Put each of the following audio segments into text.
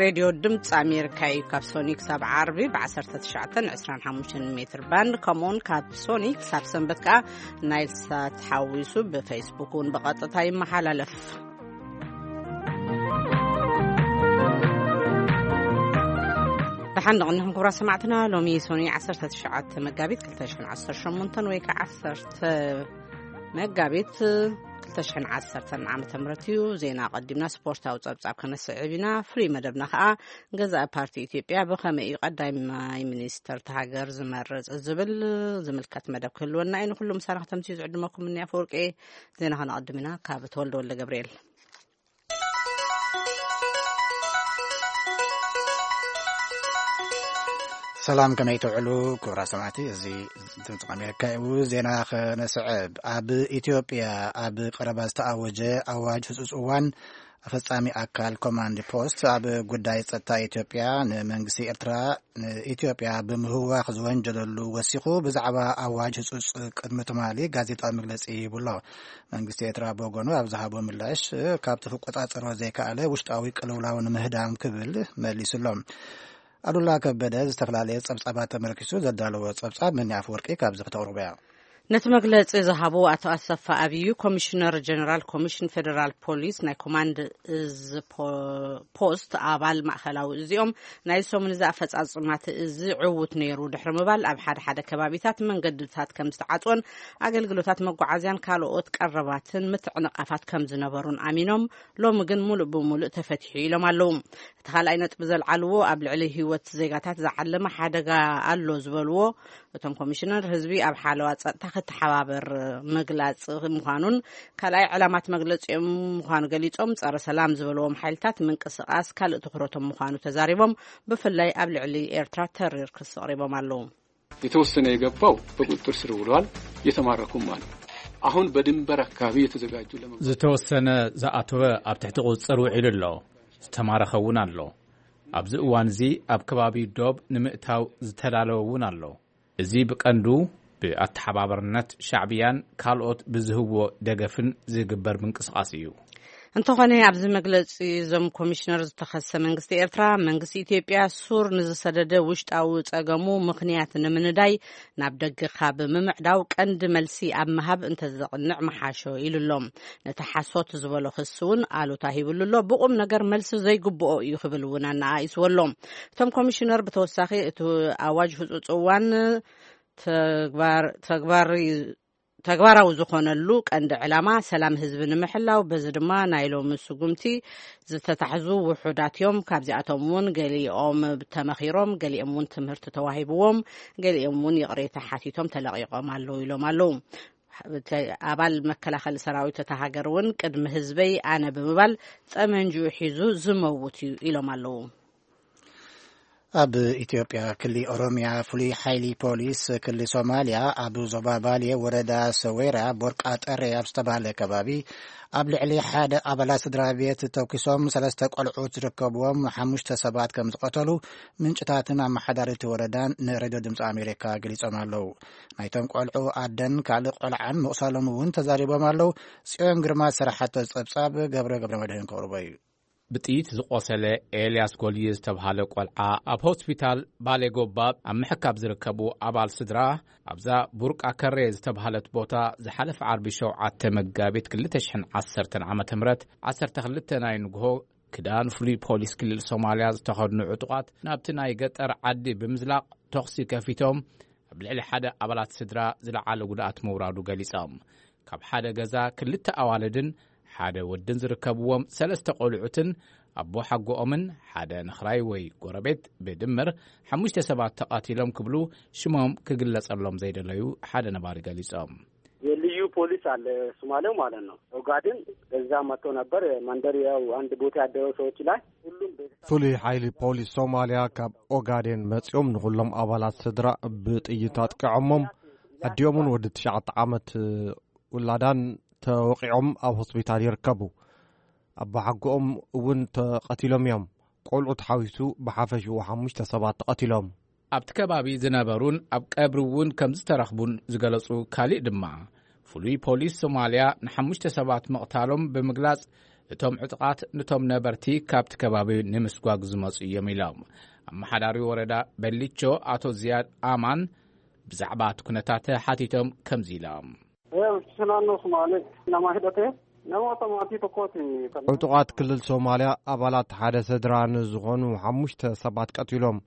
ሬድዮ ድምፂ ኣሜሪካ እዩ። ካብ ሶኒ ክሳብ ዓርቢ ብ19 25 ሜትር ባንድ፣ ከምኡውን ካብ ሶኒ ክሳብ ሰንበት ከዓ ናይል ሳት ሓዊሱ ብፌስቡክ እውን ብቐጥታ ይመሓላለፍ። ደሓን ንቕንሕም ክቡራት ሰማዕትና፣ ሎሚ ሶኒ 19 መጋቢት 2018 ወይ ከዓ 10 መጋቢት 2010 ዓመተ ምህረት እዩ። ዜና ኣቐዲምና ስፖርታዊ ጸብጻብ ከነስዕብ ኢና። ፍሉይ መደብና ከኣ ገዛኢ ፓርቲ ኢትዮጵያ ብኸመይ እዩ ቀዳማይ ሚኒስተር እታ ሃገር ዝመርጽ ዝብል ዝምልከት መደብ ክህልወና እዩ። ንኹሉ ምሳና ከተምስዩ ዝዕድመኩም እኒ ኣፈወርቂ። ዜና ከነቐድም ኢና ካብ ተወልደ ወልደ ገብርኤል። ሰላም፣ ከመይ ትውዕሉ ክቡራት ሰማዕቲ? እዚ ድምፂ ኣሜሪካ እዩ። ዜና ከነስዕብ። ኣብ ኢትዮጵያ ኣብ ቀረባ ዝተኣወጀ ኣዋጅ ህፁፅ እዋን ኣፈፃሚ ኣካል ኮማንድ ፖስት ኣብ ጉዳይ ጸጥታ ኢትዮጵያ ንመንግስቲ ኤርትራ ንኢትዮጵያ ብምህዋኽ ዝወንጀለሉ ወሲኹ ብዛዕባ ኣዋጅ ህጹጽ ቅድሚ ትማሊ ጋዜጣዊ መግለጺ ሂቡ ኣሎ። መንግስቲ ኤርትራ ብወገኑ ኣብ ዝሃቦ ምላሽ፣ ካብቲ ክቆጻጸሮ ዘይከኣለ ውሽጣዊ ቅልውላው ንምህዳም ክብል መሊሱ ኣሎ። ኣሉላ ከበደ ዝተፈላለየ ጸብጻባት ተመርኪሱ ዘዳለዎ ጸብጻብ መኒ ኣፈወርቂ ካብዚ ክተቕርቦ እያ። ነቲ መግለጺ ዝሃቡ ኣቶ ኣሰፋ ኣብዩ፣ ኮሚሽነር ጀነራል ኮሚሽን ፌደራል ፖሊስ ናይ ኮማንድ እዝ ፖ-፣ ፖስት ኣባል ማእኸላዊ እዚኦም ናይ ሰሙን እዚ ኣፈጻጽማት እዚ ዕዉት ነይሩ ድሕሪ ምባል፣ ኣብ ሓደ ሓደ ከባቢታት መንገድታት ከም ዝተዓጽወን ኣገልግሎታት መጓዓዝያን ካልኦት ቀረባትን ምትዕንቓፋት ከም ዝነበሩን ኣሚኖም፣ ሎሚ ግን ሙሉእ ብሙሉእ ተፈቲሑ ኢሎም ኣለዉ። እቲ ካልኣይ ነጥቢ ዘልዓልዎ፣ ኣብ ልዕሊ ህይወት ዜጋታት ዝዓለመ ሓደጋ ኣሎ ዝበልዎ፣ እቶም ኮሚሽነር ህዝቢ ኣብ ሓለዋ ጸጥታ ክተሓባበር ምግላጽ ምዃኑን ካልኣይ ዕላማት መግለጺኦም ምዃኑ ገሊጾም፣ ጸረ ሰላም ዝበልዎም ሓይልታት ምንቅስቓስ ካልእ ትኹረቶም ምዃኑ ተዛሪቦም፣ ብፍላይ ኣብ ልዕሊ ኤርትራ ተሪር ክሲ ኣቕሪቦም ኣለዉ። የተወሰነ የገባው በቁጥጥር ስር ውሏል፣ የተማረኩም አሉ። አሁን በድንበር አካባቢ የተዘጋጁ ለመ- ዝተወሰነ ዝኣተወ ኣብ ትሕቲ ቁጽጽር ውዒሉ ኣሎ፣ ዝተማረኸ እውን ኣሎ። ኣብዚ እዋን እዚ ኣብ ከባቢ ዶብ ንምእታው ዝተዳለወ እውን ኣሎ። እዚ ብቀንዱ ብኣተሓባበርነት ሻዕብያን ካልኦት ብዝህብዎ ደገፍን ዝግበር ምንቅስቓስ እዩ። እንተኾነ ኣብዚ መግለጺ እዞም ኮሚሽነር ዝተኸሰ መንግስቲ ኤርትራ፣ መንግስቲ ኢትዮጵያ ሱር ንዝሰደደ ውሽጣዊ ጸገሙ ምኽንያት ንምንዳይ ናብ ደገ ካብ ምምዕዳው ቀንዲ መልሲ ኣብ ምሃብ እንተዘቕንዕ ምሓሾ ኢሉ ኣሎ። ነቲ ሓሶት ዝበሎ ክሲ እውን ኣሉታ ሂብሉ ኣሎ። ብቑም ነገር መልሲ ዘይግብኦ እዩ ክብል እውን ኣነኣኢስዎ ኣሎ። እቶም ኮሚሽነር ብተወሳኺ እቲ ኣዋጅ ህጹጽ እዋን ተግባር-፣ ተግባር-፣ ተግባራዊ ዝኾነሉ ቀንዲ ዕላማ ሰላም ህዝቢ ንምሕላው፣ በዚ ድማ ናይ ሎሚ ስጉምቲ ዝተታሕዙ ውሑዳት እዮም። ካብዚኣቶም እውን ገሊኦም ተመኺሮም፣ ገሊኦም እውን ትምህርቲ ተዋሂብዎም፣ ገሊኦም እውን ይቕሬታ ሓቲቶም ተለቒቖም ኣለዉ ኢሎም ኣለዉ። ኣባል መከላኸሊ ሰራዊት እታ ሃገር እውን ቅድሚ ህዝበይ ኣነ ብምባል ጠመንጅኡ ሒዙ ዝመውት እዩ ኢሎም ኣለዉ። ኣብ ኢትዮጵያ ክሊ ኦሮሚያ ፍሉይ ሓይሊ ፖሊስ ክሊ ሶማሊያ ኣብ ዞባ ባሌ ወረዳ ሰዌራ ቦርቃ ጠሬ ኣብ ዝተባህለ ከባቢ ኣብ ልዕሊ ሓደ ኣባላት ስድራ ቤት ተኩሶም ሰለስተ ቆልዑት ዝርከብዎም ሓሙሽተ ሰባት ከም ዝቐተሉ ምንጭታትን ኣመሓዳሪቲ ወረዳን ንሬድዮ ድምፂ ኣሜሪካ ገሊጾም ኣለዉ። ናይቶም ቆልዑ ኣደን ካልእ ቆልዓን ምቑሳሎም እውን ተዛሪቦም ኣለዉ። ጽዮን ግርማ ዝሰራሓቶ ጸብጻብ ገብረ ገብረ መድህን ከቕርቦ እዩ። ብጥይት ዝቆሰለ ኤልያስ ጎልየ ዝተብሃለ ቆልዓ ኣብ ሆስፒታል ባሌ ጎባ ኣብ ምሕካብ ዝርከቡ ኣባል ስድራ ኣብዛ ቡርቃ ከሬ ዝተብሃለት ቦታ ዝሓለፈ ዓርቢ 7 መጋቢት 2010 ዓ.ም 12 ናይ ንግሆ ክዳን ፍሉይ ፖሊስ ክልል ሶማልያ ዝተኸድኑ ዕጡቓት ናብቲ ናይ ገጠር ዓዲ ብምዝላቕ ተኹሲ ከፊቶም ኣብ ልዕሊ ሓደ ኣባላት ስድራ ዝለዓለ ጉድኣት ምውራዱ ገሊጾም። ካብ ሓደ ገዛ ክልተ ኣዋልድን ሓደ ወድን ዝርከብዎም ሰለስተ ቆልዑትን ኣቦ ሓጎኦምን ሓደ ነኽራይ ወይ ጎረቤት ብድምር ሓሙሽተ ሰባት ተቐቲሎም ክብሉ ሽሞም ክግለጸሎም ዘይደለዩ ሓደ ነባሪ ገሊጾም። የልዩ ፖሊስ አለ ሶማሌው ማለት ነው። ኦጋዴን በዛ መጥቶ ነበር። መንደር ያው አንድ ቦታ ያደረው ሰዎች ላይ ሁሉም ቤተሰብ ፍሉይ ሓይሊ ፖሊስ ሶማልያ ካብ ኦጋዴን መጺኦም ንኹሎም ኣባላት ስድራ ብጥይት ኣጥቂዖሞም። ኣዲኦምን ወዲ ትሽዓተ ዓመት ውላዳን ተወቒዖም ኣብ ሆስፒታል ይርከቡ። ኣቦሓጎኦም እውን ተቐቲሎም እዮም። ቆልዑ ተሓዊሱ ብሓፈሽኡ ሓሙሽተ ሰባት ተቐቲሎም። ኣብቲ ከባቢ ዝነበሩን ኣብ ቀብሪ እውን ከም ዝተረኽቡን ዝገለጹ ካሊእ ድማ፣ ፍሉይ ፖሊስ ሶማልያ ንሓሙሽተ ሰባት ምቕታሎም ብምግላጽ፣ እቶም ዕጡቓት ነቶም ነበርቲ ካብቲ ከባቢ ንምስጓግ ዝመጹ እዮም ኢሎም። ኣመሓዳሪ ወረዳ በሊቾ ኣቶ ዝያድ ኣማን ብዛዕባ እቲ ኩነታት ሓቲቶም ከምዚ ኢሎም። Sunaannoo Somaalee nama hidhatee namoota maatii tokkooti. ዕጡቓት ክልል ሶማልያ ኣባላት ሓደ ስድራ ንዝኾኑ ሓሙሽተ ሰባት ቀቲሎም፣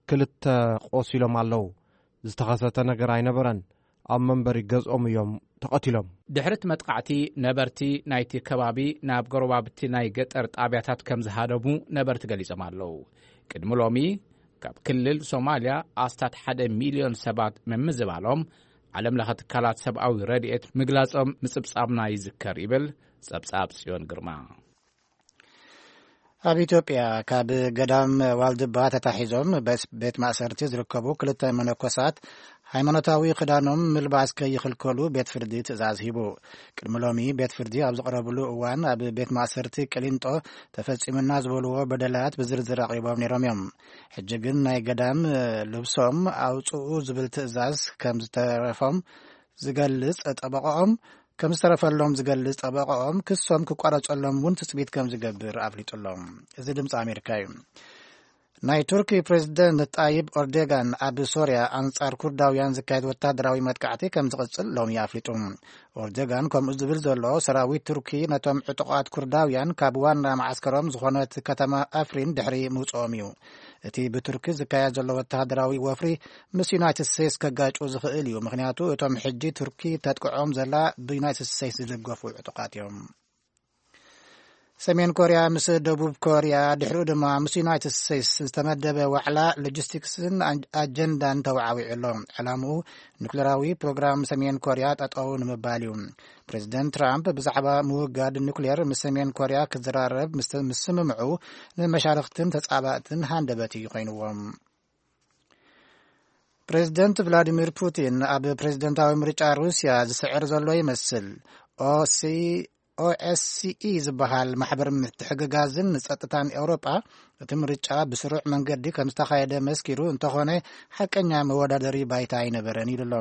ክልተ ቆሲሎም ኣለዉ። ዝተኸሰተ ነገር ኣይነበረን። ኣብ መንበሪ ገዝኦም እዮም ተቐቲሎም። ድሕሪ እቲ መጥቃዕቲ፣ ነበርቲ ናይቲ ከባቢ ናብ ጎረባብቲ ናይ ገጠር ጣብያታት ከም ዝሃደሙ ነበርቲ ገሊጾም ኣለዉ። ቅድሚ ሎሚ፣ ካብ ክልል ሶማልያ ኣስታት ሓደ ሚልዮን ሰባት ምምዝባሎም ዓለም ለኸ ትካላት ሰብኣዊ ረድኤት ምግላጾም ምጽብጻብና ይዝከር ይብል ጸብጻብ ጽዮን ግርማ። ኣብ ኢትዮጵያ ካብ ገዳም ዋልድባ ተታሒዞም በስ-፣ ቤት ማእሰርቲ ዝርከቡ ክልተ መነኮሳት ሃይማኖታዊ ክዳኖም ምልባስ ከይኽልከሉ ቤት ፍርዲ ትእዛዝ ሂቡ። ቅድሚ ሎሚ ቤት ፍርዲ ኣብ ዝቐረብሉ እዋን ኣብ ቤት ማእሰርቲ ቅሊንጦ ተፈጺሙና ዝበልዎ በደላት ብዝርዝር ኣቕሪቦም ነይሮም እዮም። ሕጂ ግን ናይ ገዳም ልብሶም ኣውጽኡ ዝብል ትእዛዝ ከም ዝተረፎም ዝገልጽ ጠበቃኦም ከም ዝተረፈሎም ዝገልጽ ጠበቃኦም፣ ክሶም ክቋረጸሎም እውን ትጽቢት ከም ዝገብር ኣፍሊጡሎም። እዚ ድምጺ ኣሜሪካ እዩ። ናይ ቱርኪ ፕሬዝደንት ጣይብ ኦርዶጋን ኣብ ሶርያ ኣንጻር ኩርዳውያን ዝካየድ ወታደራዊ መጥቃዕቲ ከም ዝቕጽል ሎሚ ኣፍሊጡ። ኦርዶጋን ከምኡ ዝብል ዘሎ፣ ሰራዊት ቱርኪ ነቶም ዕጡቓት ኩርዳውያን ካብ ዋና መዓስከሮም ዝኾነት ከተማ ኣፍሪን ድሕሪ ምውጽኦም እዩ። እቲ ብቱርኪ ዝካየድ ዘሎ ወተሃደራዊ ወፍሪ ምስ ዩናይትድ ስቴትስ ከጋጩ ዝኽእል እዩ። ምኽንያቱ እቶም ሕጂ ቱርኪ ተጥቅዖም ዘላ ብዩናይትድ ስቴትስ ዝድገፉ ዕጡቓት እዮም። ሰሜን ኮርያ ምስ ደቡብ ኮርያ፣ ድሕሪኡ ድማ ምስ ዩናይትድ ስቴትስ ዝተመደበ ዋዕላ ሎጂስቲክስን ኣን-፣ ኣጀንዳን ተወዓዊዑ ኣሎ። ዕላምኡ ኑክሌራዊ ፕሮግራም ሰሜን ኮርያ ጠጠው ንምባል እዩ። ፕሬዚደንት ትራምፕ ብዛዕባ ምውጋድ ኑክሌር ምስ ሰሜን ኮርያ ክዘራረብ ምስ፣ ምስ ስምምዑ ንመሻርኽትን ተጻባእትን ሃንደበት እዩ ኮይንዎም። ፕሬዚደንት ቭላዲሚር ፑቲን ኣብ ፕሬዚደንታዊ ምርጫ ሩስያ ዝስዕር ዘሎ ይመስል። ኦሲ-፣ ኦኤስሲኢ ዝበሃል ማሕበር ምትሕግጋዝን ንጸጥታን ኤውሮጳ እቲ ምርጫ ብስሩዕ መንገዲ ከም ዝተኻየደ መስኪሩ፣ እንተኾነ ሓቀኛ መወዳደሪ ባይታ ኣይነበረን ኢሉ ኣሎ።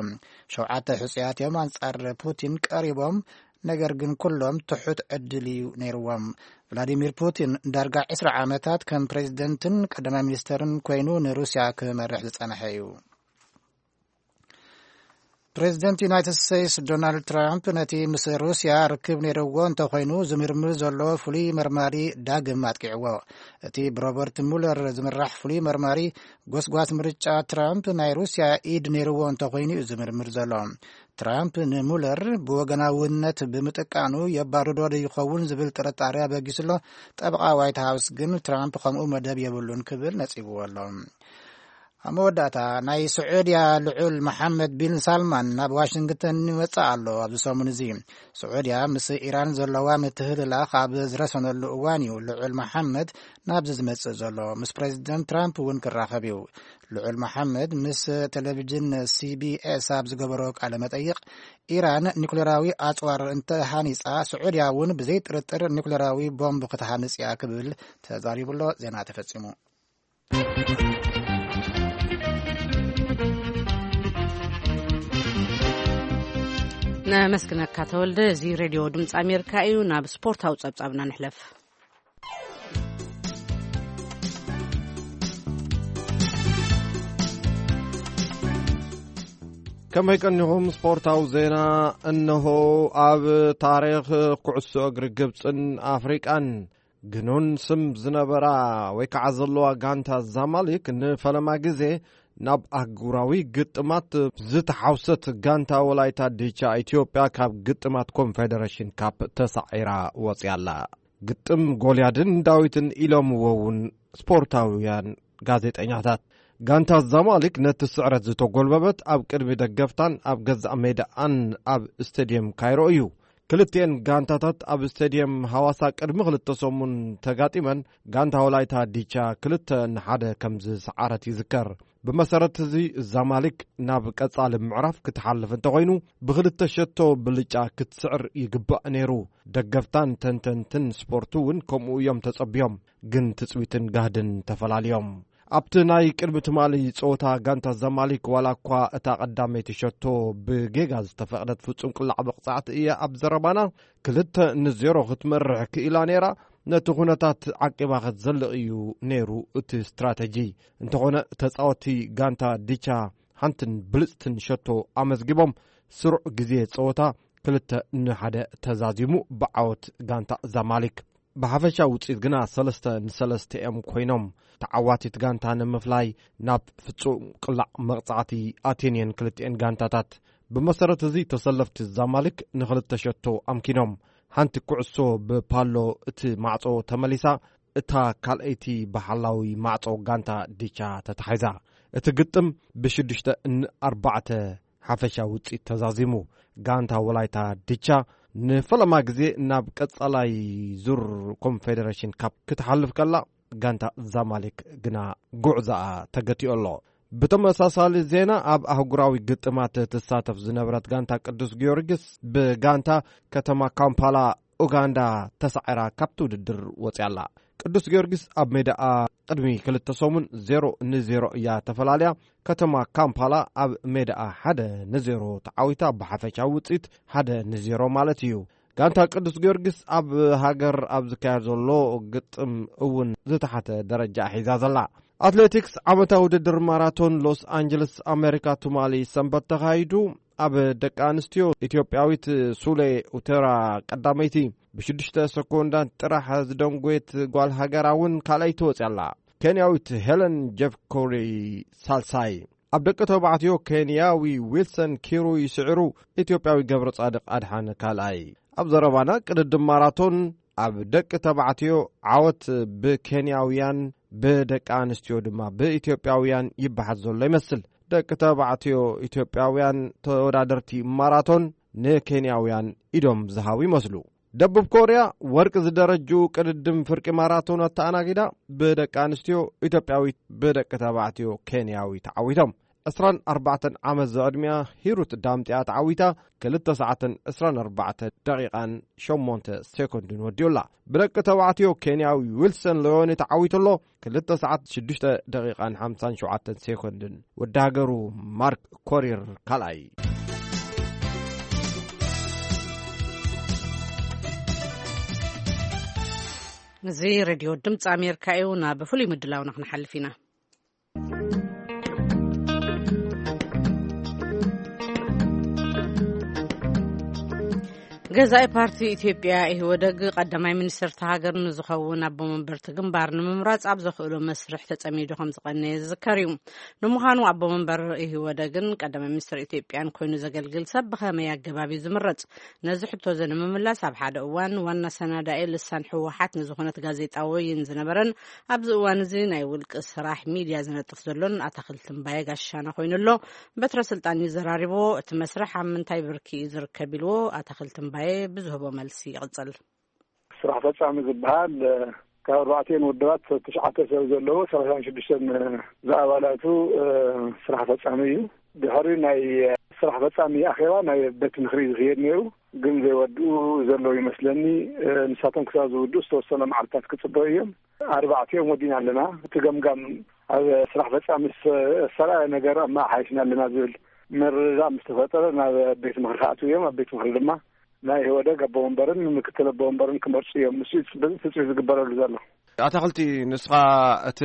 ሸውዓተ ሕጹያት እዮም ኣንጻር ፑቲን ቀሪቦም፣ ነገር ግን ኩሎም ትሑት ዕድል እዩ ነይርዎም። ቭላዲሚር ፑቲን ዳርጋ ዕስራ ዓመታት ከም ፕሬዚደንትን ቀዳማይ ሚኒስተርን ኮይኑ ንሩስያ ክመርሕ ዝጸንሐ እዩ። ፕሬዚደንት ዩናይትድ ስቴትስ ዶናልድ ትራምፕ ነቲ ምስ ሩስያ ርክብ ነይርዎ እንተኾይኑ ዝምርምር ዘሎ ፍሉይ መርማሪ ዳግም ኣጥቂዕዎ። እቲ ብሮበርት ሙለር ዝምራሕ ፍሉይ መርማሪ ጎስጓስ ምርጫ ትራምፕ ናይ ሩስያ ኢድ ነይርዎ እንተኾይኑ እዩ ዝምርምር ዘሎ። ትራምፕ ንሙለር ብወገናውነት ብምጥቃኑ የባርዶ ዶ ይኸውን ዝብል ጥርጣሬ ኣበጊሱ ኣሎ። ጠበቓ ዋይት ሃውስ ግን ትራምፕ ከምኡ መደብ የብሉን ክብል ነጺግዎ ኣሎ። ኣብ መወዳእታ፣ ናይ ስዑድያ ልዑል መሓመድ ቢን ሳልማን ናብ ዋሽንግተን ይመጽእ ኣሎ። ኣብዚ ሰሙን እዚ ስዑድያ ምስ ኢራን ዘለዋ ምትህልላኽ ኣብ ዝረሰነሉ እዋን እዩ ልዑል መሓመድ ናብዚ ዝመጽእ ዘሎ። ምስ ፕሬዚደንት ትራምፕ እውን ክራኸብ እዩ። ልዑል መሓመድ ምስ ቴሌቪዥን ሲቢኤስ ኣብ ዝገበሮ ቃለ መጠይቕ፣ ኢራን ኒኩሌራዊ ኣጽዋር እንተሃኒጻ፣ ስዑድያ እውን ብዘይ ጥርጥር ኒኩሌራዊ ቦምብ ክትሃንጽ እያ ክብል ተዛሪቡ ኣሎ። ዜና ተፈጺሙ። ነመስግነካ ተወልደ። እዚ ሬድዮ ድምፂ ኣሜሪካ እዩ። ናብ ስፖርታዊ ጸብጻብና ንሕለፍ። ከመይ ቀኒኹም? ስፖርታዊ ዜና እነሆ። ኣብ ታሪኽ ኩዕሶ እግሪ ግብፅን ኣፍሪቃን ግኑን ስም ዝነበራ ወይ ከዓ ዘለዋ ጋንታ ዛማሊክ ንፈለማ ግዜ ናብ ኣህጉራዊ ግጥማት ዝተሓውሰት ጋንታ ወላይታ ዲቻ ኢትዮጵያ ካብ ግጥማት ኮንፌደሬሽን ካፕ ተሳዒራ ወፅያ ኣላ። ግጥም ጎልያድን ዳዊትን ኢሎምዎ እውን ስፖርታውያን ጋዜጠኛታት። ጋንታ ዛማሊክ ነቲ ስዕረት ዝተጎልበበት ኣብ ቅድሚ ደገፍታን ኣብ ገዛእ ሜዳኣን ኣብ ስቴድየም ካይሮ እዩ። ክልቲኤን ጋንታታት ኣብ ስቴድየም ሃዋሳ ቅድሚ ክልተ ሰሙን ተጋጢመን፣ ጋንታ ወላይታ ዲቻ ክልተ ንሓደ ከም ዝሰዓረት ይዝከር። ብመሰረት እዚ ዛማሊክ ናብ ቀጻሊ ምዕራፍ ክትሓልፍ እንተኾይኑ ብክልተ ሸቶ ብልጫ ክትስዕር ይግባእ ነይሩ። ደገፍታን ተንተንትን ስፖርቱ እውን ከምኡ እዮም ተጸብዮም። ግን ትጽቢትን ጋህድን ተፈላልዮም። ኣብቲ ናይ ቅድሚ ትማሊ ጸወታ፣ ጋንታ ዛማሊክ ዋላ እኳ እታ ቀዳመይቲ ሸቶ ብጌጋ ዝተፈቕደት ፍጹም ቅላዕ መቕጻዕቲ እያ ኣብ ዘረባና ክልተ ንዜሮ ክትመርሕ ክኢላ ነይራ። ነቲ ኩነታት ዓቂባ ክትዘልቕ እዩ ነይሩ እቲ ስትራተጂ። እንተኾነ፣ ተጻወትቲ ጋንታ ዲቻ ሓንትን ብልጽትን ሸቶ ኣመዝጊቦም፣ ስሩዕ ግዜ ጸወታ ክልተ ንሓደ ተዛዚሙ ብዓወት ጋንታ ዛማሊክ። ብሓፈሻ ውጽኢት ግና ሰለስተ ንሰለስተ እዮም ኮይኖም። ተዓዋቲት ጋንታ ንምፍላይ ናብ ፍጹም ቅላዕ መቕጻዕቲ ኣትየን እየን ክልቲኤን ጋንታታት። ብመሰረት እዚ፣ ተሰለፍቲ ዛማሊክ ንኽልተ ሸቶ ኣምኪኖም። ሓንቲ ኩዕሶ ብፓሎ እቲ ማዕጾ ተመሊሳ፣ እታ ካልኣይቲ ብሓላዊ ማዕጾ ጋንታ ዲቻ ተታሒዛ። እቲ ግጥም ብሽዱሽተ ንኣርባዕተ ሓፈሻ ውጽኢት ተዛዚሙ። ጋንታ ወላይታ ዲቻ ንፈለማ ግዜ ናብ ቀጻላይ ዙር ኮንፌደሬሽን ካፕ ክትሓልፍ ከላ፣ ጋንታ ዛማሊክ ግና ጉዕዛኣ ተገቲኡ ኣሎ። ብተመሳሳሊ ዜና፣ ኣብ ኣህጉራዊ ግጥማት ትሳተፍ ዝነበረት ጋንታ ቅዱስ ጊዮርጊስ ብጋንታ ከተማ ካምፓላ ኡጋንዳ ተሳዒራ ካብቲ ውድድር ወጽያ ኣላ። ቅዱስ ጊዮርጊስ ኣብ ሜዳኣ ቅድሚ ክልተ ሰሙን ዜሮ ንዜሮ እያ ተፈላልያ። ከተማ ካምፓላ ኣብ ሜዳኣ ሓደ ንዜሮ ተዓዊታ፣ ብሓፈሻዊ ውጽኢት ሓደ ንዜሮ ማለት እዩ። ጋንታ ቅዱስ ጊዮርጊስ ኣብ ሃገር ኣብ ዝካየድ ዘሎ ግጥም እውን ዝተሓተ ደረጃ ሒዛ ዘላ። ኣትሌቲክስ፣ ዓመታዊ ውድድር ማራቶን ሎስ ኣንጀለስ ኣሜሪካ ትማሊ ሰንበት ተኻይዱ። ኣብ ደቂ ኣንስትዮ፣ ኢትዮጵያዊት ሱሌ ኡተራ ቀዳመይቲ ብሽዱሽተ ሰኮንዳት ጥራሕ ዝደንጎየት ጓል ሃገራ እውን ካልኣይቲ ወፅያ ኣላ። ኬንያዊት ሄለን ጀፍኮሪ ሳልሳይ። ኣብ ደቂ ተባዕትዮ፣ ኬንያዊ ዊልሰን ኪሩይ ስዒሩ፣ ኢትዮጵያዊ ገብረ ጻድቕ ኣድሓነ ካልኣይ። ኣብ ዘረባና ቅድድም ማራቶን፣ ኣብ ደቂ ተባዕትዮ ዓወት ብኬንያውያን፣ ብደቂ ኣንስትዮ ድማ ብኢትዮጵያውያን ይበሓት ዘሎ ይመስል። ደቂ ተባዕትዮ ኢትዮጵያውያን ተወዳደርቲ ማራቶን ንኬንያውያን ኢዶም ዝሃቡ ይመስሉ። ደቡብ ኮርያ ወርቂ ዝደረጅኡ ቅድድም ፍርቂ ማራቶን ኣተኣናጊዳ፣ ብደቂ ኣንስትዮ ኢትዮጵያዊት፣ ብደቂ ተባዕትዮ ኬንያዊ ተዓዊቶም። ዕስራን ኣርባዕተን ዓመት ዝዕድሚኣ ሂሩት ዳምጢኣ ተዓዊታ፣ ክልተ ሰዓትን ዕስራን ኣርባዕተ ደቂቓን ሸሞንተ ሴኮንድን ወዲኡላ። ብደቂ ተባዕትዮ ኬንያዊ ዊልሰን ሎዮኒ ተዓዊቱ ኣሎ፣ ክልተ ሰዓት ሽዱሽተ ደቂቓን ሓምሳን ሸውዓተን ሴኮንድን። ወዲ ሃገሩ ማርክ ኮሪር ካልኣይ። እዚ ሬድዮ ድምፂ ኣሜሪካ እዩ። ናብ ፍሉይ ምድላውና ክንሓልፍ ኢና። ገዛኢ ፓርቲ ኢትዮጵያ፣ ኢህወደግ፣ ቀዳማይ ሚኒስትር እታ ሃገር ንዝኸውን ኣቦ መንበርቲ ግንባር ንምምራጽ ኣብ ዘኽእሎ መስርሕ ተጸሚዱ ከም ዝቐነየ ዝዝከር እዩ። ንምዃኑ፣ ኣቦ መንበር ኢህወደግን ቀዳማይ ሚኒስትር ኢትዮጵያን ኮይኑ ዘገልግል ሰብ ብኸመይ ኣገባብ እዩ ዝምረጽ? ነዚ ሕቶ እዚ ንምምላስ፣ ኣብ ሓደ እዋን ዋና ሰናዳኢ ልሳን ህወሓት ንዝኾነት ጋዜጣ ወይን ዝነበረን ኣብዚ እዋን እዚ ናይ ውልቂ ስራሕ ሚድያ ዝነጥፍ ዘሎን ኣታኽልቲ እምባየ ጋሻና ኮይኑ ኣሎ። በትረ ስልጣን እዩ ዘራሪቦ። እቲ መስርሕ ኣብ ምንታይ ብርኪ እዩ ዝርከብ ኢልዎ ኣታኽልቲ እምባየ ብዝህቦ መልሲ ይቕጽል። ስራሕ ፈጻሚ ዝበሃል፣ ካብ ኣርባዕቲኦን ውድባት ትሽዓተ ሰብ ዘለዎ ሰላሳን ሽዱሽተን ዝኣባላቱ፣ ስራሕ ፈጻሚ እዩ። ድሕሪ ናይ ስራሕ ፈጻሚ ኣኼባ፣ ናይ ቤት ምኽሪ ዝኽየድ ነይሩ፣ ግን ዘይወድኡ ዘለዉ ይመስለኒ። ንሳቶም ክሳብ ዝውድኡ ዝተወሰነ መዓልታት ክጽበዩ እዮም። ኣርባዕቲኦም ወዲና ኣለና። እቲ ገምጋም ኣብ ስራሕ ፈጻሚ ዝሰ-፣ ዝሰረዐ ነገር ኣመሓይሽና ኣለና ዝብል ምርድዳእ ምስ ተፈጠረ፣ ናብ ቤት ምኽሪ ክኣትዉ እዮም። ኣብ ቤት ምኽሪ ድማ ናይ ኢህወደግ ኣቦ ወንበርን ምክትል ኣቦ ወንበርን ክመርጹ እዮም። ንሱ እዩ ጽብ-፣ ትጽቢት ዝግበረሉ ዘሎ። ኣታኽልቲ፣ ንስኻ እቲ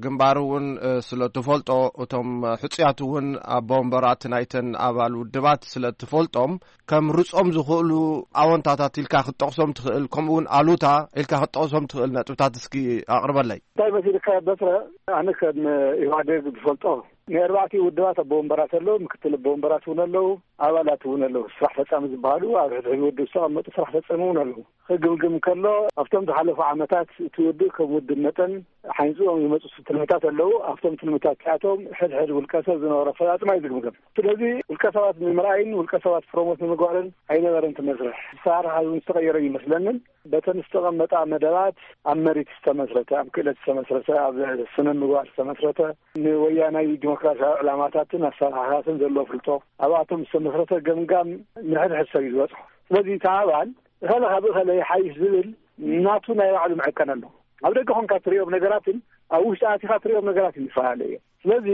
ግንባር እውን፣ እ፣ ስለ እትፈልጦ፣ እቶም ሕጹያት እውን ኣቦ ወንበራት ናይተን ኣባል ውድባት ስለ እትፈልጦም፣ ከም ርጾም ዝኽእሉ ኣወንታታት ኢልካ ክትጠቕሶም ትኽእል፣ ከምኡ እውን ኣሉታ ኢልካ ክትጠቕሶም ትኽእል ነጥብታት እስኪ ኣቕርበለይ። እንታይ መሲልካ በትረ፣ ኣነ ከም ኢህዋዴግ ዝፈልጦ፣ ናይ ኣርባዕቲኡ ውድባት ኣቦ ወንበራት ኣለዉ፣ ምክትል ኣቦ ወንበራት እውን ኣለዉ፣ ኣባላት እውን ኣለዉ። ስራሕ ፈጻሚ ዝበሃሉ ኣብ ሕድሕድ ውድብ ዝተቐመጡ ስራሕ ፈጻሚ እውን ኣለዉ። ክግምግም ከሎ፣ ኣብቶም ዝሓለፉ ዓመታት እቲ ውድብ ከም ውድብ መጠን ሓይንጽኦም ዝመጹ ትልምታት ኣለዉ። ኣብቶም ትልምታት እቲኣቶም ሕድሕድ ውልቀ ሰብ ዝነበሮ ኣፈጻጽማ እዩ ዝግምገም። ስለዚ ውልቀ ሰባት ንምርኣይን ውልቀ ሰባት ፕሮሞት ንምግባርን ኣይነበረን እቲ መስርሕ። ኣሰራርሓ እውን ዝተቐየረ ይመስለንን። በተን ዝተቐመጣ መደባት ኣብ መሪት ዝተመስረተ፣ ኣብ ክእለት ዝተመስረተ፣ ኣብ ስነ ምግባር ዝተመስረተ፣ ንወያናይ ዲሞክራሲያዊ ዕላማታትን ኣሰራርሓታትን ዘለዎ ፍልጦ፣ ኣብኣቶም ዝተመስረተ ገምጋም ንሕድሕድ ሰብ እዩ ዝበጽሖ። ስለዚ እቲ ኣባል እኸለ ካብ እኸለ ይሓይሽ ዝብል ናቱ ናይ ባዕሉ መዐቀኒ ኣሎ። ኣብ ደገ ኾንካ እትርእዮም ነገራትን ኣብ ውሽጢ ኣቲኻ ትሪኦም ነገራት ይፈላለዩ እዮም። ስለዚ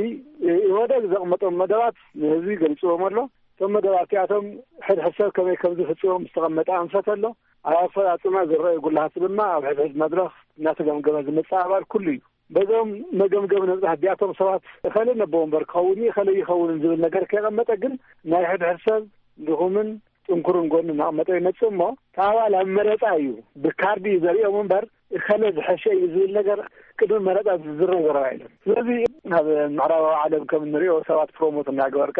ኢህወደግ ዘቐመጦም መደባት ንህዝቢ ገሊፅዎም ኣሎ። እቶም መደባት እቲኣቶም ሕድሕድ ሰብ ከመይ ከም ዝፍፅሞም ዝተቐመጠ ኣንፈት ኣሎ። ኣብ ኣፈፃፅማ ዝረኣዩ ጉልሃት ድማ ኣብ ሕድሕድ መድረኽ እናተገምገመ ዝመፅእ ኣባል ኩሉ እዩ። በዞም መገምገም ነብፅሕ እዚኣቶም ሰባት እኸለ ነቦ ወንበር ክኸውን እዩ፣ እኸለ ይኸውንን ዝብል ነገር ከይቐመጠ ግን ናይ ሕድሕድ ሰብ ድኹምን ጥንኩርን ጎኒ እናቐመጠ ይመፅእ እሞ፣ እቲ ኣባል ኣብ መረፃ እዩ ብካርዲ እዩ ዘርእዮም እምበር እኸለ ዝሐሸ እዩ ዝብል ነገር ቅድሚ መረፃ ዝዝረብ ዘረባ የለን። ስለዚ ኣብ ምዕራባዊ ዓለም ከም እንሪኦ ሰባት ፕሮሞት እናገበርካ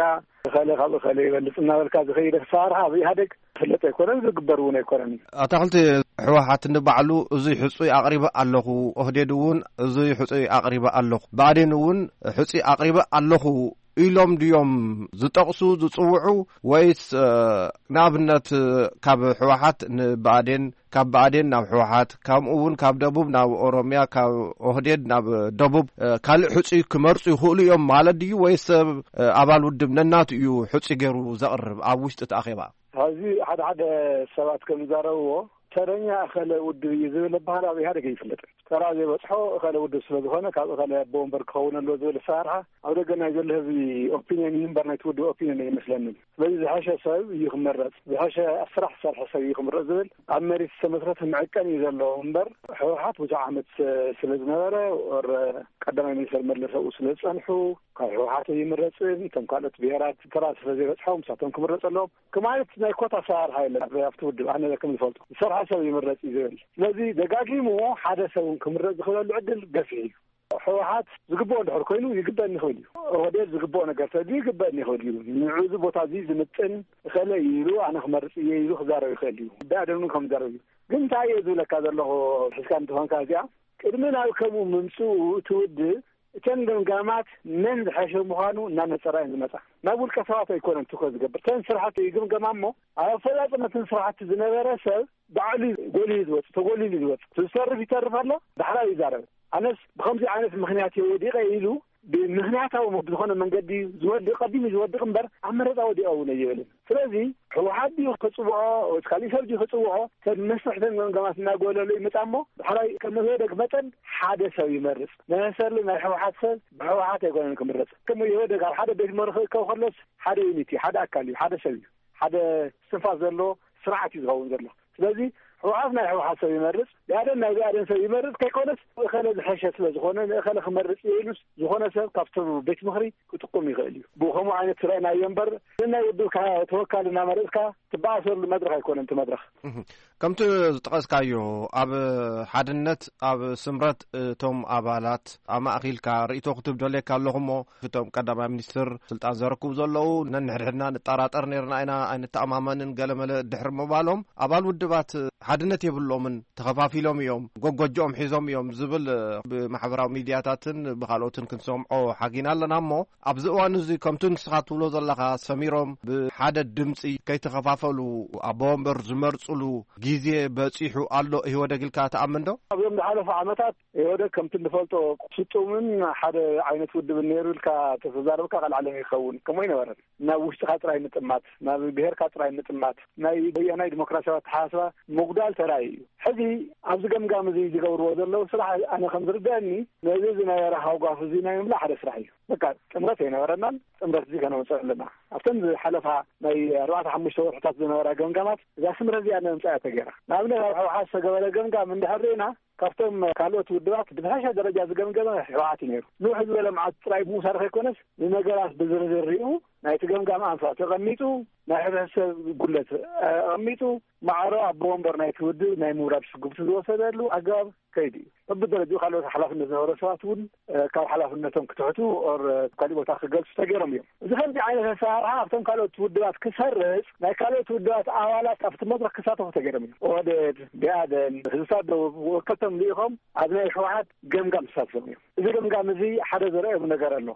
እኸለ ካብ እኸለ ይበልፅ እናበልካ ዝኸይድ ኣሰራርሓ ኣብ ኢህኣደግ ዝፍለጥ ኣይኮነን፣ ዝግበር እውን ኣይኮነን። ኣታኽልቲ፣ ህወሓት ንባዕሉ እዙይ ሕፁይ ኣቕሪበ ኣለኹ፣ ኦህዴድ እውን እዙይ ሕፁይ ኣቕሪበ ኣለኹ፣ ብኣዴን እውን ሕፁይ ኣቕሪበ ኣለኹ ኢሎም ድዮም ዝጠቕሱ ዝፅውዑ? ወይስ እ፣ ንኣብነት ካብ ህወሓት ንብኣዴን፣ ካብ ብኣዴን ናብ ህወሓት፣ ከምኡ እውን ካብ ደቡብ ናብ ኦሮምያ፣ ካብ ኦህዴድ ናብ ደቡብ እ፣ ካልእ ሕፁይ ክመርፁ ይኽእሉ እዮም ማለት ድዩ? ወይስ ሰብ እ፣ ኣባል ውድብ ነናቱ እዩ ሕፁይ ገይሩ ዘቕርብ ኣብ ውሽጢ እቲ ኣኼባ? ኣብዚ ሓደ ሓደ ሰባት ከም ዝዛረብዎ፣ ተረኛ እኸለ ውድብ እዩ ዝብል ባህል ኣብ ኢህኣደግ ኣይፍለጥን። ተራ ዘይበፅሖ እኸለ ውድብ ስለ ዝኾነ ካብ እኸለ ኣቦ ወንበር ክኸውን ኣለዎ ዝብል ኣሰራርሓ ኣብ ደገ ናይ ዘሎ ህዝቢ ኦፒንየን እዩ እምበር ናይቲ ውድብ ኦፒንየን ኣይመስለንን። ስለዚ ዝሐሸ ሰብ እዩ ክመረፅ፣ ዝሐሸ ስራሕ ዝሰርሐ ሰብ እዩ ክምረፅ ዝብል ኣብ መሬት ዝተመስረተ መዐቀኒ እዩ ዘለዎ እምበር፣ ህወሓት ብዙሕ ዓመት ስለ ዝነበረ ወረ ቀዳማይ ሚኒስተር መለስ ኣብኡ ስለ ዝፀንሑ ካብ ህወሓት ኣይምረፅን። እቶም ካልኦት ብሄራት ተራ ስለ ዘይበፅሖም ንሳቶም ክምረፅ ኣለዎም ክማለት ናይ ኮታ ኣሰራርሓ የለን ኣብ ኣብቲ ውድብ ኣነ ከም ዝፈልጦ። ዝሰርሐ ሰብ ይምረፅ እዩ ዝብል። ስለዚ ደጋጊሙ ሓደ ሰብ እውን ክምረፅ ዝኽእለሉ ዕድል ገፊሕ እዩ። ህወሓት ዝግብኦ እንድሕር ኮይኑ ይግበእኒ ይኽእል እዩ። ኦህዴድ ዝግብኦ ነገር ተድዩ ይግበእኒ ይኽእል እዩ። ንዕዚ ቦታ እዚ ዝምጥን እኸለ እዩ ኢሉ ኣነ ክመርፅ እየ ኢሉ ክዛረብ ይኽእል እዩ። ብኣደኑ ከም ዝዛረብ እዩ። ግን እንታይ እየ ዝብለካ ዘለኹ፣ ሕዝካ እንተኾንካ እዚኣ ቅድሚ ናብ ከምኡ ምምፅኡ እቲ ውድብ እተን ገምጋማት መን ዝሐሸ ምዃኑ እናነፀራ እየን ዝመፃ። ናብ ውልቀ ሰባት ኣይኮነን ትኹረት ዝገብር። እተን ስራሕቲ ይግምገማ እሞ ኣብ ኣፈፃፅመትን ስራሕቲ ዝነበረ ሰብ ባዕሉ እዩ ጎሊሁ ዝወፅእ፣ ተጎሊሉ እዩ ዝወፅእ። ዝሰርፍ ይተርፍ ኣሎ፣ ዳሕራይ ይዛረብ። ኣነስ ብኸምዚ ዓይነት ምኽንያት እየ ወዲቐ ኢሉ ብምኽንያታዊ ዝኾነ መንገዲ ዝወድቕ ቀዲሙ ዝወድቕ እምበር ኣብ መረፃ ወዲቐ እውን ኣይብልን። ስለዚ ህወሓት ድዩ ክፅውዖ ወይ ካሊእ ሰብ ድዩ ክፅውዖ፣ ሰብ መስርሕተን ገምገማት እናጎለሉ ይመፃ እሞ ዳሕራይ ከም ኢህወደግ መጠን ሓደ ሰብ ይመርፅ። መሰሊ ናይ ህወሓት ሰብ ብህወሓት ኣይኮነን ክምረፅ። ከም ኢህወደግ ኣብ ሓደ ቤት ምኽሪ ክእከብ ከሎስ ሓደ ዩኒት እዩ፣ ሓደ ኣካል እዩ፣ ሓደ ሰብ እዩ፣ ሓደ ስንፋስ ዘለዎ ስርዓት እዩ ዝኸውን ዘሎ። ስለዚ ህወሓት ናይ ህወሓት ሰብ ይመርፅ፣ ብኣደን ናይ ብኣደን ሰብ ይመርፅ ከይኮነስ እኸለ ዝሐሸ ስለ ዝኾነ ንእኸለ ክመርፅ እየ ኢሉስ ዝኾነ ሰብ ካብቶም ቤት ምኽሪ ክጥቁም ይኽእል እዩ። ብኸምኡ ዓይነት ስረእናዮ እምበር ንናይ ውድብካ ተወካሊ እናመረፅካ ትበኣሰሉ መድረኽ ኣይኮነን እቲ መድረኽ። እህ፣ ከምቲ ዝጠቐስካዮ ኣብ ሓድነት ኣብ ስምረት እቶም ኣባላት ኣማእኺልካ ርእይቶ ክትብ ደልየካ ኣለኹ እሞ እቶም ቀዳማይ ሚኒስትር ስልጣን ዘረክቡ ዘለዉ ነንሕድሕድና ንጠራጠር ነርና ኢና ኣይንተኣማመንን ገለመለ ድሕሪ ምባሎም ኣባል ውድባት ሓድነት የብሎምን፣ ተኸፋፊሎም እዮም፣ ጎጎጆኦም ሒዞም እዮም ዝብል ብማሕበራዊ ሚድያታትን ብካልኦትን ክንሰምዖ ሓጊና ኣለና እሞ ኣብዚ እዋን እዚ ከምቲ ንስኻ ትብሎ ዘለኻ ሰሚሮም ብሓደ ድምፂ ከይተኸፋፈሉ ኣቦ ወንበር ዝመርፅሉ ግዜ በፂሑ ኣሎ ኢህወደግ ኢልካ ትኣምን ዶ? ኣብዞም ዝሓለፉ ዓመታት ኢህወደግ ከምቲ እንፈልጦ ስጡምን ሓደ ዓይነት ውድብን ነይሩ ኢልካ ተተዛረብካ ካልዓለም ይኸውን። ከምኡ ኣይነበረን። ናብ ውሽጥኻ ጥራይ ምጥማት፣ ናብ ብሄርካ ጥራይ ምጥማት፣ ናይ ወያናይ ዲሞክራሲያዊ ኣተሓሳስባ ምጉዳል ተራእዩ እዩ። ሕዚ ኣብዚ ገምጋም እዚ ዝገብርዎ ዘለዉ ስራሕ ኣነ ከም ዝርደአኒ ነዚ ዝነበረ ሃውጋፍ እዚ ናይ ምምላእ ሓደ ስራሕ እዩ። በቃ ጥምረት ኣይነበረናን፣ ጥምረት እዚ ከነውፅእ ኣለና። ኣብተን ዝሓለፋ ናይ ኣርባዕተ ሓሙሽተ ወርሕታት ዝነበራ ገምጋማት እዛ ስምረት እዚኣ ነምፅኣ ተገይራ። ንኣብነት ኣብ ህወሓት ዝተገበረ ገምጋም እንድሕር ርኢና ካብቶም ካልኦት ውድባት ብዝሓሸ ደረጃ ዝገምገመ ህወሓት እዩ ነይሩ። ንውሕ ዝበለ መዓት ጥራይ ብምውሳድ ከይኮነስ ንነገራት ብዝርዝር ሪኡ ናይቲ ገምጋም ኣንፈት ተቐሚጡ ናይ ሕብረተሰብ ጉድለት ኣቐሚጡ ማዕረ ኣቦ ወንበር ናይቲ ውድብ ናይ ምውራድ ስጉምቲ ዝወሰደሉ ኣገባብ ከይዱ እዩ። በብደረጃኡ ካልኦት ሓላፍነት ዝነበሮ ሰባት እውን ካብ ሓላፍነቶም ክትሕቱ ኦር ካሊእ ቦታ ክገልፁ ተገይሮም እዮም። እዚ ከምዚ ዓይነት ኣሰራርሓ ኣብቶም ካልኦት ውድባት ክሰርፅ ናይ ካልኦት ውድባት ኣባላት ኣብቲ መድረክ ክሳተፉ ተገይሮም እዮም። ኦህዴድ፣ ብኣዴን፣ ህዝብታት ደቡብ ወከልቶም ልኢኾም ኣብ ናይ ህወሓት ገምጋም ተሳቲፎም እዮም። እዚ ገምጋም እዚ ሓደ ዘርእየሉ ነገር ኣሎ።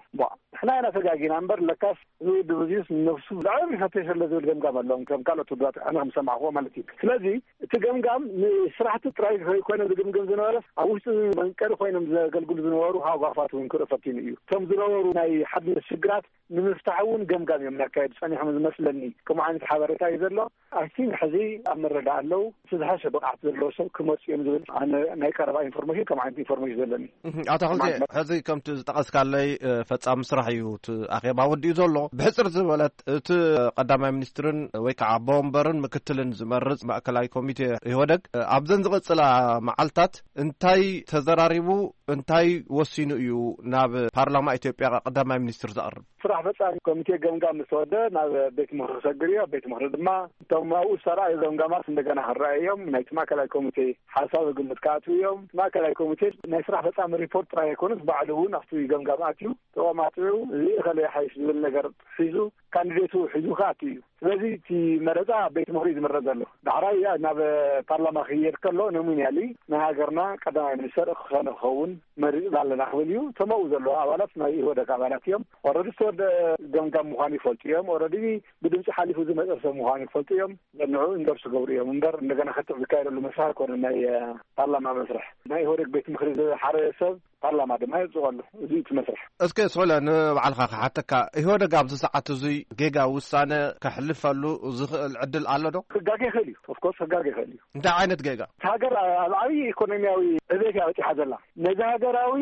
ንሕና ኢና ተጋጊና እምበር ለካስ እዚ ውድብ እዚስ ንነብሱ ብጣዕሚ ይፈተሽ ኣሎ ዝብል ገምጋም ኣለዎም። ከም ካልኦት ውድባት ኣነ ከም ዝሰማዕክዎ ማለት እዩ። ስለዚ እቲ ገምጋም ንስራሕቲ ጥራይ ዘይኮነ ዝግምግም ዝነበረስ ኣብ ውሽጢ መንቀሊ ኮይኖም ዘገልግሉ ዝነበሩ ሃጓፋት እውን ክርኢ ፈቲኑ እዩ። እቶም ዝነበሩ ናይ ሓድነት ሽግራት ንምፍታሕ እውን ገምጋም እዮም እናካየዱ ጸኒሖም ዝመስለኒ። ከምኡ ዓይነት ሓበሬታ እዩ ዘሎ። ኣይ ቲንክ ሕዚ ኣብ ምርዳእ ኣለዉ። እቲ ዝሓሸ ብቕዓት ዘለዎ ሰብ ክመፁ እዮም ዝብል ኣነ ናይ ቀረባ ኢንፎርሜሽን፣ ከምኡ ዓይነት ኢንፎርሜሽን ዘለኒ። እህ፣ ኣቶ ኣኽልቲ፣ ሕዚ ከምቲ ዝጠቐስካለይ፣ እ፣ ፈጻሚ ስራሕ እዩ እቲ ኣኼባ ወዲኡ ዘሎ። ብሕጽር ዝበለት እቲ ቀዳማይ ሚኒስትርን ወይ ከዓ ኣቦ ወንበርን ምክትልን ዝመርጽ ማእከላይ ኮሚቴ ኢህወደግ፣ እ፣ ኣብዘን ዝቕጽላ መዓልታት እንታይ ተዘራሪቡ፣ እንታይ ወሲኑ እዩ ናብ ፓርላማ ኢትዮጵያ ቀዳማይ ሚኒስትር ዘቕርብ? ስራሕ ፈጻሚ ኮሚቴ ገምጋም ምስ ተወደ ናብ ቤት ምኽሪ ክሰግር እዩ። ኣብ ቤት ምኽሪ ድማ እቶም ኣብኡ ዝተረኣዩ ገምጋማት እንደገና ክረኣዩ እዮም። ናይቲ ማእከላይ ኮሚቴ ሓሳብ ግምት ክኣትዉ እዮም። ማእከላይ ኮሚቴ ናይ ስራሕ ፈጻሚ ሪፖርት ጥራይ ኣይኮነስ ባዕሉ እውን ኣብቲ ገምጋም ኣትዩ ተቋማጢዑ እዚ እኸለ ይሓይሽ ዝብል ነገር ሒዙ ካንዲዴቱ ሒዙ ክኣቱ እዩ። ስለዚ እቲ መረፃ ኣብ ቤት ምኽሪ እዩ ዝምረፅ ዘሎ። ዳሕራይ ናብ ፓርላማ ክየድ ከሎ ኖሚናሊ ናይ ሃገርና ቀዳማይ ሚኒስተር እኸለ ክኸውን መሪፅና ኣለና ክብል እዩ። እቶም ኣብኡ ዘለዉ ኣባላት ናይ ኢህወደግ ኣባላት እዮም። ኦረዲ ዝተወደአ ገምጋም ምዃኑ ይፈልጡ እዮም። ኦረዲ ብድምፂ ሓሊፉ ዝመፀ ሰብ ምዃኑ ይፈልጡ እዮም። ዘንዑ ኢንዶርስ ዝገብሩ እዮም እምበር እንደገና ክትዕ ዝካየደሉ መስርሕ ኣይኮነን። ናይ እ፣ ፓርላማ መስርሕ ናይ ኢህወደግ ቤት ምኽሪ ዝሓረየ ሰብ ፓርላማ ድማ የፅድቐሉ። እዚ እቲ መስርሕ። እስከ ስለ ንባዕልኻ ክሓተካ፣ ኢህወደግ ኣብዚ ሰዓት እዙይ ጌጋ ውሳነ ከሕልፈሉ ዝኽእል ዕድል ኣሎ ዶ? ክጋገ ይኽእል እዩ። ኦፍኮርስ ክጋገ ይኽእል እዩ። እንታይ ዓይነት ጌጋ? እቲ ሃገር ኣብ ዓብዪ ኢኮኖሚያዊ ዕቤት እያ በፂሓ ዘላ። ነዚ ሃገራዊ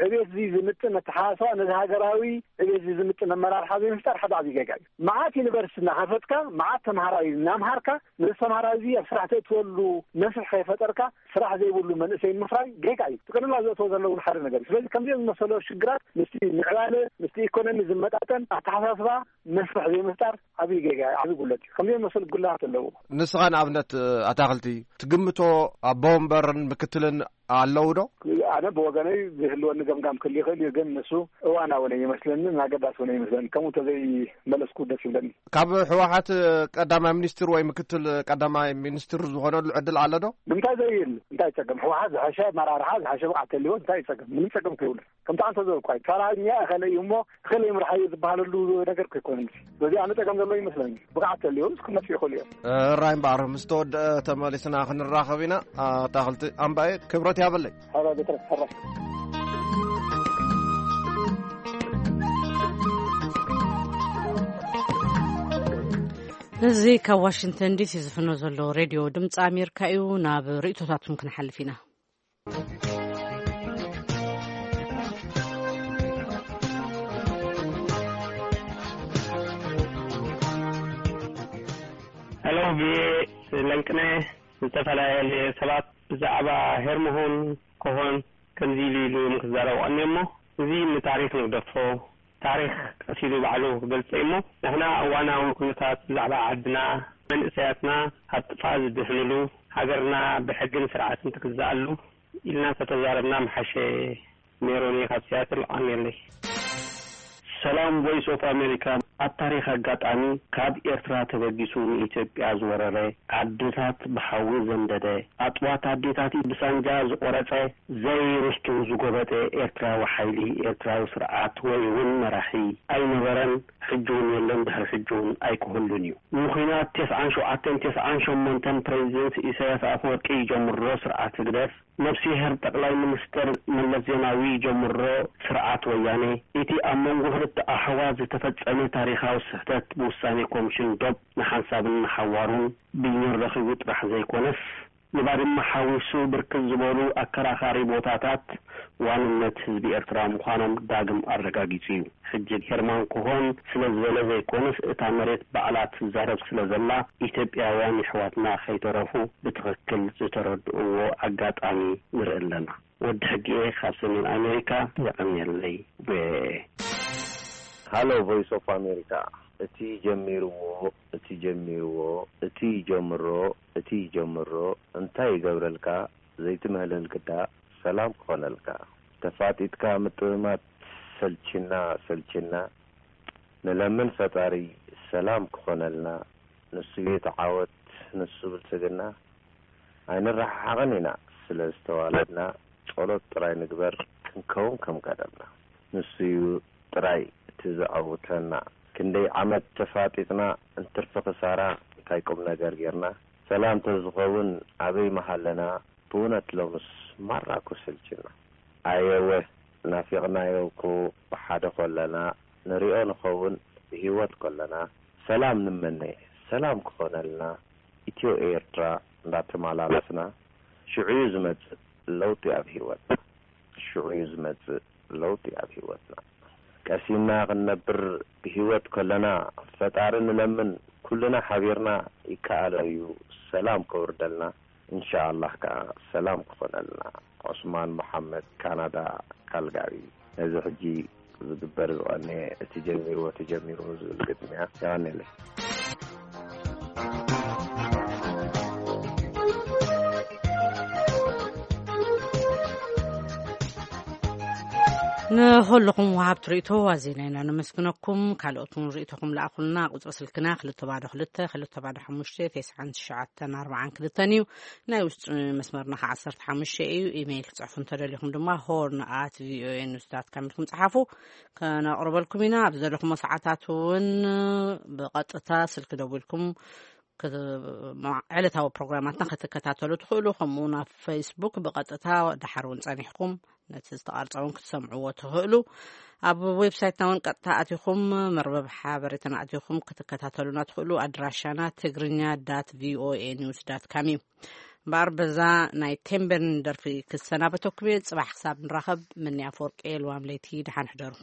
ዕቤት እዚ ዝምጥን ኣተሓሳስባ፣ ነዚ ሃገራዊ ዕቤት እዚ ዝምጥን ኣመራርሓ ዘይምፍጣር ሓደ ዓብዪ ጌጋ እዩ። መዓት ዩኒቨርሲቲ እናኸፈትካ፣ መዓት ተምሃራይ እናምሃርካ፣ ነዚ ተምሃራይ እዚ ኣብ ስራሕ ተእትወሉ መስርሕ ከይፈጠርካ፣ ስራሕ ዘይብሉ መንእሰይ ምፍራይ ጌጋ እዩ። ጥቅልላ ዘእተዎ ዘለውን ሓደ ነገር እዩ። ስለዚ ከምዚኦም ዝመሰሉ ሽግራት ምስቲ ምዕባለ፣ ምስቲ ኢኮኖሚ ዝመጣጠን ኣተሓሳስባ መስርሕ ዘይምፍጣር ዓብዪ ጌጋ እዩ፣ ዓብዪ ጉለት እዩ። ከምዚኦም ዝመሰሉ ጉላት ኣለዎ። ንስኻ ንኣብነት ኣታኽልቲ ትግምቶ ኣቦ ወንበርን ምክትልን ኣለዉ ዶ? ኣነ ብወገነይ ዝህልወኒ ገምጋም ክህሉ ይኽእል እዩ፣ ግን ንሱ እዋናዊ ነው ይመስለኒ፣ ኣገዳሲ ነው ይመስለኒ። ከምኡ እንተዘይመለስኩ ደስ ይብለኒ። ካብ ህወሓት ቀዳማይ ሚኒስትር ወይ ምክትል ቀዳማይ ሚኒስትር ዝኾነሉ ዕድል ኣሎ ዶ? ንምንታይ ዘይህሉ? እንታይ ጸገም? ህወሓት ዝሐሸ ኣመራርሓ፣ ዝሐሸ ብቕዓት ተልዎ እንታይ ጸገም? ምንም ጸገም ከይብሉ። ከምቲ ኣንተ ዝበልኳ እዩ። ተራኛ እኸለ እዩ እሞ እኸለ ይምርሓ እዩ ዝበሃለሉ ነገር ከይኮነ። ስለዚ ኣነ ጸገም ዘሎ ይመስለኒ። ብቕዓት ተልዎ ክመጽኡ ይኽእሉ እዮም። ራይ እምበኣር ምስ ተወድአ ተመሊስና ክንራኸብ ኢና። ኣታኽልቲ ኣምባየ ክብረት ያበለይ። ሕራይ ቤትረስ፣ ሕራይ። እዚ ካብ ዋሽንግተን ዲሲ ዝፍኖ ዘሎ ሬድዮ ድምፂ ኣሜሪካ እዩ። ናብ ርእይቶታትኩም ክንሓልፍ ኢና። ሄሎ፣ ብየ ለንቅነ ዝተፈላለየ ሰባት ብዛዕባ ሄርሞሆን ኮሆን ከምዚ ኢሉ ኢሉ እዮም ክዛረቡ ቀንዮ እሞ፣ እዚ ንታሪኽ ንግደፎ። ታሪኽ ቀስ ኢሉ ባዕሉ ክገልጾ እዩ እሞ፣ ንሕና እዋናዊ ኩነታት ብዛዕባ ዓድና፣ መንእሰያትና ካብ ጥፍኣት ዝድሕንሉ፣ ሃገርና ብሕግን ስርዓትን ትግዛኣሉ ኢልና እንተተዛረብና ምሓሸ። ሜሮን እየ ካብ ሲያትል፣ ኣሜለይ። ሰላም ቮይስ ኦፍ ኣሜሪካ። ኣብ ታሪኽ ኣጋጣሚ ካብ ኤርትራ ተበጊሱ ንኢትዮጵያ ዝወረረ፣ ዓድታት ብሓዊ ዘንደደ፣ ኣጥዋት ኣዴታት ብሳንጃ ዝቖረጸ፣ ዘይርስቱ ዝጎበጠ ኤርትራዊ ሓይሊ፣ ኤርትራዊ ስርዓት ወይ እውን መራሒ ኣይነበረን፣ ሕጂ እውን የለን፣ ድሕሪ ሕጂ እውን ኣይክህሉን እዩ። ንኹናት ተስዓን ሸውዓተን ተስዓን ሸሞንተን ፕሬዚደንት ኢሳያስ ኣፈወርቂ ይጀምሮ ስርዓት ህግደፍ፣ ነፍስሄር ጠቕላይ ሚኒስተር መለስ ዜናዊ ይጀምሮ ስርዓት ወያኔ፣ እቲ ኣብ መንጎ ክልተ ኣሕዋት ዝተፈጸመ ታሪኻዊ ስሕተት ብውሳኔ ኮሚሽን ዶብ ንሓንሳብን ንሓዋሩን ብይን ረኺቡ ጥራሕ ዘይኮነስ፣ ንባድመ ሓዊሱ ብርክት ዝበሉ ኣከራኻሪ ቦታታት ዋንነት ህዝቢ ኤርትራ ምዃኖም ዳግም ኣረጋጊጹ እዩ። ሕጂ ሄርማን ኮሆን ስለ ዝበለ ዘይኮነስ፣ እታ መሬት ባዕላ ትዛረብ ስለ ዘላ፣ ኢትዮጵያውያን የሕዋትና ከይተረፉ ብትኽክል ዝተረድእዎ ኣጋጣሚ ንርኢ ኣለና። ወዲ ሕጊኤ ካብ ሰሜን ኣሜሪካ፣ የቐንየለይ። ዌ። ሃሎ ቮይስ ኦፍ ኣሜሪካ። እቲ ጀሚርዎ፣ እቲ ጀሚርዎ፣ እቲ ይጀምሮ፣ እቲ ይጀምሮ፣ እንታይ ይገብረልካ፣ ዘይትምህለል ግዳ ሰላም ክኾነልካ። ተፋጢጥካ ምጥምማት ሰልችና፣ ሰልችና፣ ንለምን ፈጣሪ ሰላም ክኾነልና፣ ንሱ እዩ ተዓወት፣ ንሱ ብልጽግና። ኣይንረሓሓቕን ኢና ስለ ዝተዋለድና፣ ጸሎት ጥራይ ንግበር ክንከውን ከም ቀደምና። ንሱ እዩ ጥራይ እቲ ዘዐውተና። ክንደይ ዓመት ተፋጢጥና እንትርፊ ክሳራ እንታይ ቁም ነገር ጌርና? ሰላም ተዝኸውን ኣበይ ምሃለና? ብእውነት ሎምስ ማራ እኮ ሰልችና። ኣየወ ናፊቕናዮ እኮ ብሓደ ኮለና ንሪኦ ንኸውን። ብህይወት ከለና ሰላም ንመነ፣ ሰላም ክኾነልና። ኢትዮ ኤርትራ እንዳተመላለስና ሽዑ እዩ ዝመጽእ ለውጢ ኣብ ህይወትና። ሽዑ እዩ ዝመጽእ ለውጢ ኣብ ህይወትና። ቀሲንና ክንነብር ብህይወት ከለና ፈጣሪ ንለምን፣ ኩልና ሓቢርና ይከኣሎ እዩ ሰላም ከውርደልና። እንሻኣላህ ከኣ ሰላም ክኾነልና። ዑስማን መሓመድ፣ ካናዳ፣ ካልጋሪ። ነዚ ሕጂ ዝግበር ዝቐነየ እቲ ጀሚርዎ ተጀሚሩ ዝብል ግጥምያ። የቐንየለይ። ንኹልኹም ወሃብቲ ርእቶ ኣዚና ኢና ነመስግነኩም። ካልኦት እውን ርእቶኹም ለኣኹልና። ቁጽሪ ስልክና ክልተ ባዶ ክልተ፣ ክልተ ባዶ ሓሙሽተ፣ ተስዓን ትሽዓተን ኣርባዓን ክልተን እዩ። ናይ ውሽጢ መስመርና ከዓ ዓሰርተ ሓሙሽተ እዩ። ኢሜይል ክጽሕፉ እንተደሊኹም ድማ ሆርን ኣት ቪኦኤ ኒውስ ዳት ካም ኢልኩም ጸሓፉ። ከነቕርበልኩም ኢና። ኣብ ዘለኹሞ ሰዓታት እውን ብቐጥታ ስልኪ ደዊልኩም ክት-፣ ዕለታዊ ፕሮግራማትና ክትከታተሉ ትኽእሉ። ከምኡ እውን ኣብ ፌስቡክ ብቐጥታ ድሓር እውን ጸኒሕኩም ነቲ ዝተቐርጸ እውን ክትሰምዕዎ ትኽእሉ። ኣብ ዌብሳይትና እውን ቀጥታ ኣቲኹም መርበብ ሓበሬታና ኣቲኹም ክትከታተሉና ትኽእሉ። ኣድራሻና ትግርኛ ዳት ቪኦኤ ኒውስ ዳት ካም እዩ። እምበኣር በዛ ናይ ቴምቤን ደርፊ ክሰናበተኩም እየ። ጽባሕ ክሳብ ንራኸብ፣ ምንያ ኣፈወርቂ፣ ልዋም ለይቲ፣ ደሓን ሕደሩ።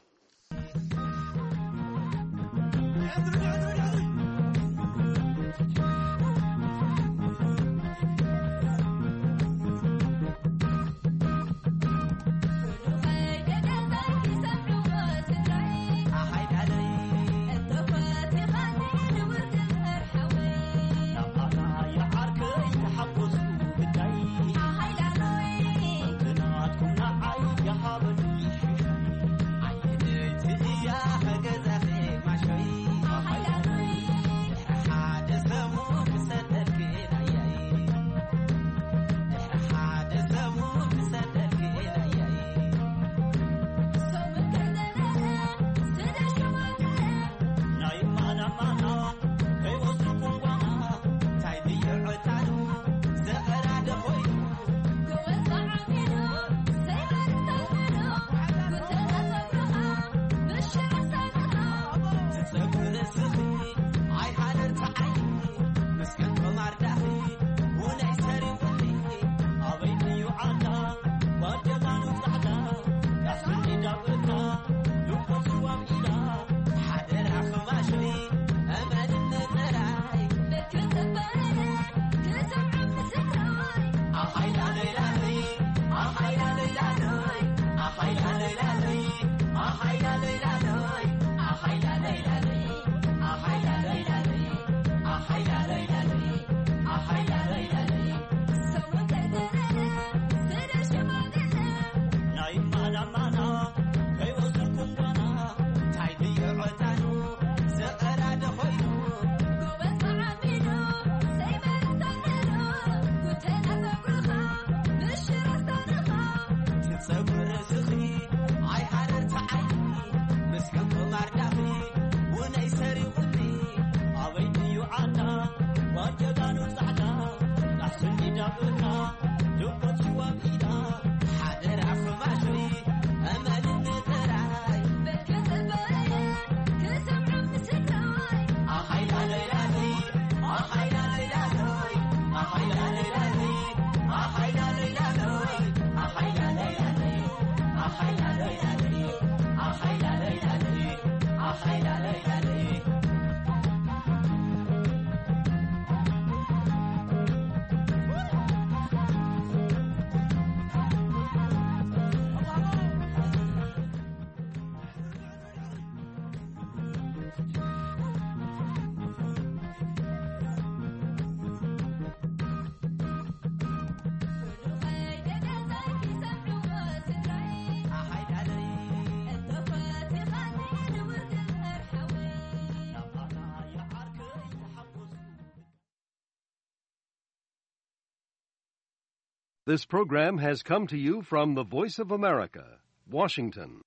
This program has come to you from the Voice of America, Washington.